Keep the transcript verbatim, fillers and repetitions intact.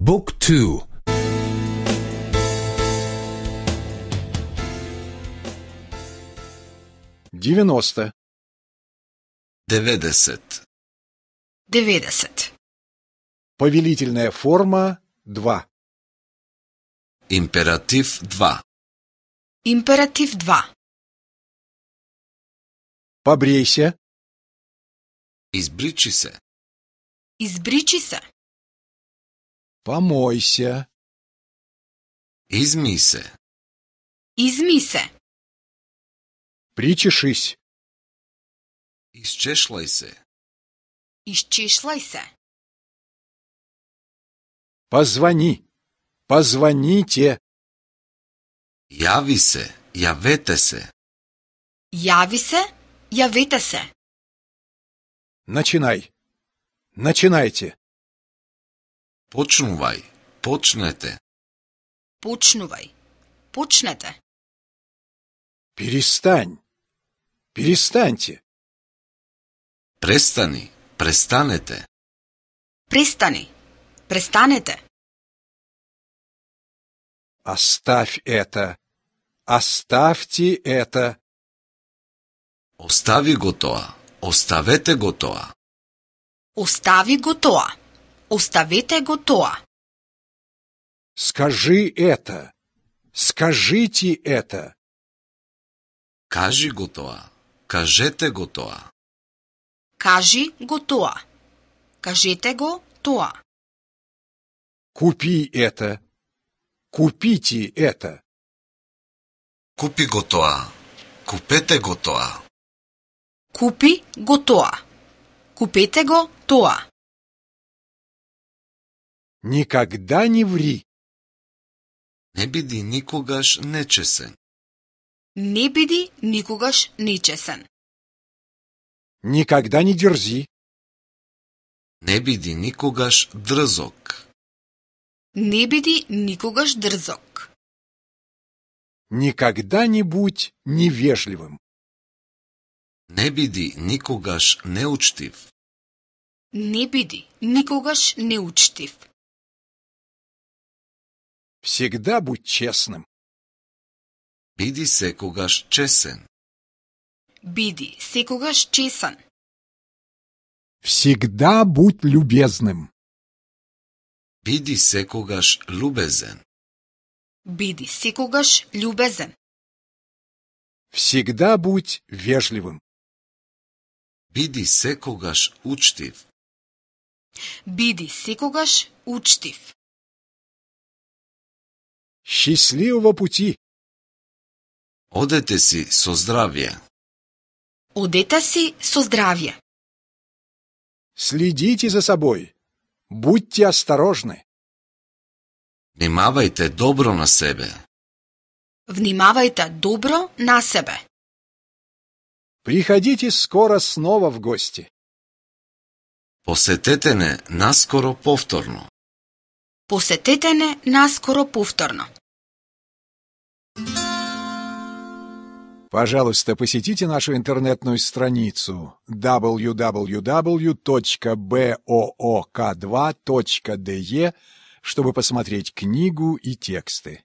Book two. девяносто. деветдесет. деветдесет. Повелительная форма два. Императив два. Императив два. Побрейся. Избричи се. Избричи се. Помойся. Измий се. Изми се. Причешись. Изчешлај се. Изчешлај се. Позвони. Позвоните. Јави се. Јавете се. Јави се. Јавете се. Начинай. Начинайте. Почнувај. Почнете. Почнувај. Почнете. Перестань. Перестаньте. Престани. Престанете. Престани. Престанете. Оставь это. Оставьте это. Остави го тоа. Оставете го тоа. Остави го тоа. Оставете го тоа. Скажи это. Скажите это. Кажи го тоа. Кажете го тоа. Кажи го тоа. Кажете го тоа. Купи это. Купите это. Купи го тоа. Купете го тоа. Купи го тоа. Купете го тоа. Никогда не ври. Не биди никогаш нечесен. Не биди никогаш нечесен. Никогда не дерзи. Не биди никогаш дрзок. Не биди никогаш дрзок. Никогда не будь невежливым. Не биди никогаш неучтив. Не биди никогаш неучтив. Всегда будь честным. Биди секогаш чесен. Биди секогаш чесен. Всегда будь любезным. Биди секогаш любезен. Биди секогаш љубезен. Всегда будь вежливым. Биди секогаш учтив. Биди секогаш учтив. Счастливого пути. Одете си со здравје. Одете си со здравје. Следите за собой. Будьте осторожны. Внимавајте добро на себе. Внимавајте добро на себе. Приходите скоро снова в гости. Посетете не наскоро повторно. Посетете не наскоро повторно. Пожалуйста, посетите нашу интернетную страницу дабл ю дабл ю дабл ю точка боок два точка де чтобы посмотреть книгу и тексты.